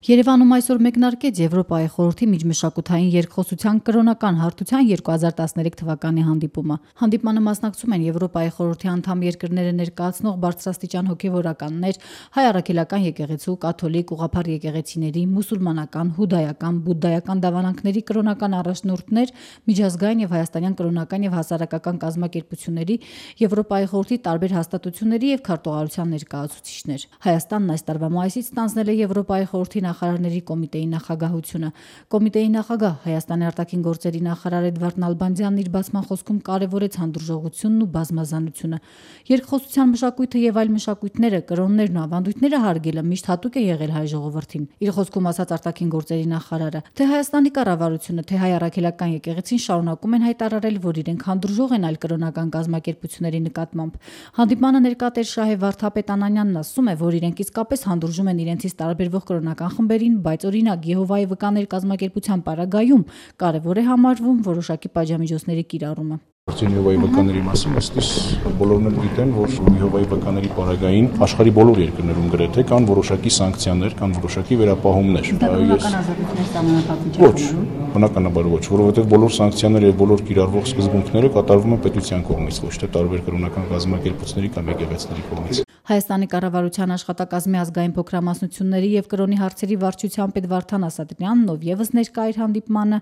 Երևանում այսօր մեկնարկեց Եվրոպայի խորհրդի միջմշակութային երկխոսության կրոնական հարթության 2013 թվականի հանդիպումը։ Հանդիպմանը մասնակցում են Եվրոպայի խորհրդի անդամ երկրները ներկայացնող բարձրաստիճան հոգևորականներ, հայ առաքելական եկեղեցու, կաթոլիկ, ուղղափառ եկեղեցիների, մուսուլմանական, հուդայական, բուդդայական դավանանքների կրոնական առաջնորդներ, միջազգային եւ հայաստանյան կրոնական եւ հասարակական կազմակերպությունների, Եվրոպայի խորհրդի տարբեր հաստատությունների եւ քարտուղարության ներկայացուցիչներ։ Հայաստանն այս տարվա մայիսից ստանձնել է Եվրոպայի խորհրդի նախարարների կոմիտեի նախագահությունը։ Կոմիտեի նախագահ Հայաստանի արտաքին գործերի նախարար Էդվարդ Նալբանդյանն իր բացման խոսքում կարևորեց հանդուրժողությունն ու բազմազանությունը։ Երկխոսության մշակույթը եւ այլ մշակույթները, կրոններն ու ավանդույթները հարգելը միշտ հատուկ է եղել հայ ժողովրդին։ Իր խոսքում ասաց արտաքին գործերի նախարարը, թե Հայաստանի կառավարությունը, թե հայ առաքելական եկեղեցին շարունակում են հայտարարել, որ իրենք հանդուրժող են այլ կրոնական կազմակերպությունների նկատմամբ։ Հանդիպմանը ներկա Տեր Շահե Վարդապետ Անանյանն ասում է, որ իրենք իսկապես հանդուրժում են իրենցից տարբերվող կրոնական խմբերին, բայց օրինակ Եհովայի վկաներ կազմակերպության պարագայում կարևոր է համարվում որոշակի պատժամիջոցների կիրառումը։ Եհովայի վկաների մասին ըստիս բոլորն էլ գիտեն, որ Եհովայի վկաների պարագային աշխարհի բոլոր երկրներում գրեթե կան որոշակի սանկցիաներ, կան որոշակի վերապահումներ։ Ոչ, բնականաբար ոչ, որովհետև բոլոր սանկցիաները եւ բոլոր կիրառվող սկզբունքները կատարվում են պետության կողմից, ոչ թե տարբեր կրոնական կազմակերպությունների կամ եկեղեցիների կողմից։ Հայաստանի կառավարության աշխատակազմի ազգային փոքրամասնությունների եւ կրոնի հարցերի վարչության պետ Վարդան Ասատրյանն ով եւս ներկա էր հանդիպմանը,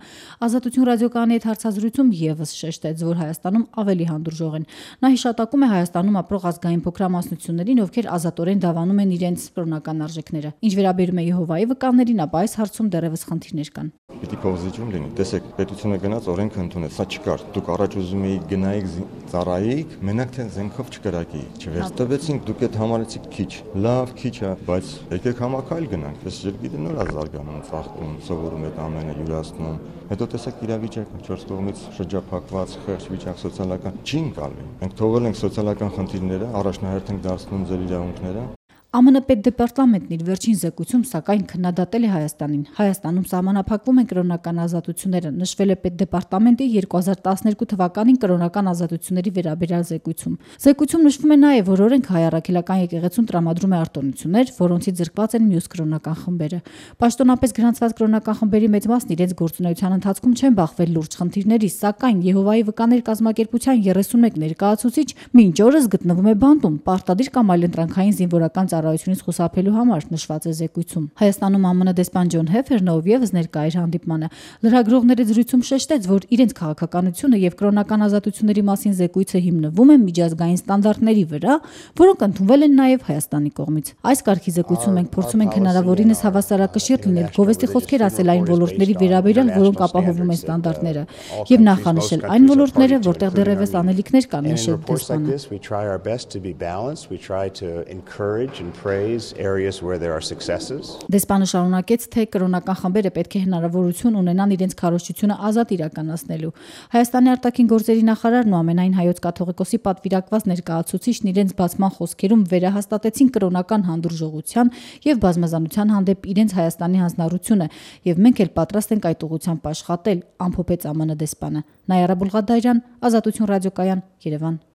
Ազատություն ռադիոկայանի հետ հարցազրույցում եւս շեշտեց, որ Հայաստանում ավելի հանդուրժող են։ Նա հիշատակում է Հայաստանում ապրող ազգային փոքրամասնություններին, ովքեր ազատորեն դավանում են իրենց կրոնական արժեքները։ Ինչ վերաբերում է Եհովայի վկաներին, ապա այս հարցում դեռևս խնդիրներ կան։ Պիտի փոխզիջում լինի։ Տեսեք, պետությունը գնաց օրենքը ընդունեց, սա չկար։ Դուք առաջ ուզում էիք գնայիք ծառայիք, մենակ թե զենքով չկրակի։ Չվերցրեցինք, դուք այդ համարեցիք քիչ։ Լավ, քիչ է, բայց եկեք համակայլ գնանք։ Այս երկիրը նոր ազարգանում, ծաղկում, սովորում այդ ամենը յուրացնում։ Հետո տեսեք իրավիճակը 4 կողմից շրջափակված, խեղճ վիճակ սոցիալական չի ընկալվի։ Մենք թողել ենք սոցիալական խնդիրները, առաջնահերթ ենք դարձնում ձեր իրավունքները։ ԱՄՆ պետդեպարտամենտն իր վերջին զեկույցում սակայն քննադատել է Հայաստանին։ Հայաստանում սահմանափակվում են կրոնական ազատությունները, նշվել է պետդեպարտամենտի 2012 թվականին կրոնական ազատությունների վերաբերյալ զեկույցում։ Զեկույցում նշվում է նաև, որ օրենք հայ առաքելական եկեղեցուն տրամադրում է արտոնություններ, որոնցից զրկված են մյուս կրոնական խմբերը։ Պաշտոնապես գրանցված կրոնական խմբերի մեծ մասն իրենց գործունեության ընթացքում չեն բախվել լուրջ խնդիրների, սակայն Եհովայի վկաներ կազմակերպության 31 ներկայացուցիչ մինչ օրս գտնվում է բանտում, պարտադիր կամ այլընտրանքային զինվորական ծառայությունից խուսափելու համար, նշված է զեկույցում։ Հայաստանում ԱՄՆ դեսպան Ջոն Հեֆերն ով եւս ներկա էր հանդիպմանը, լրագրողների զրույցում շեշտեց, որ իրենց քաղաքականությունը եւ կրոնական ազատությունների մասին զեկույցը հիմնվում է միջազգային ստանդարտների վրա, որոնք ընդունվել են նաեւ Հայաստանի կողմից։ Այս կարգի զեկույցում մենք փորձում ենք հնարավորինս հավասարակշիռ լինել, գովեստի խոսքեր ասել այն ոլորտների վերաբերյալ, որոնք ապահովում են ստանդարտները, եւ նախանշել այն ոլորտները, որտեղ դեռևս անելիքներ կան, նշել դեսպանը։ Դեսպանը շարունակեց, թե կրոնական խմբերը պետք է հնարավորություն ունենան իրենց քարոզչությունը ազատ իրականացնելու։ Հայաստանի արտաքին գործերի նախարարն ու ամենայն հայոց կաթողիկոսի պատվիրակված ներկայացուցիչն իրենց բացման խոսքերում վերահաստատեցին կրոնական հանդուրժողության եւ բազմազանության հանդեպ իրենց Հայաստանի հանձնառությունը, եւ մենք էլ պատրաստ ենք այդ ուղղությամբ աշխատել, ամփոփեց ԱՄՆ դեսպանը։ Նայարա Բուլղադարյան, Ազատություն ռադիոկայան, Երևան։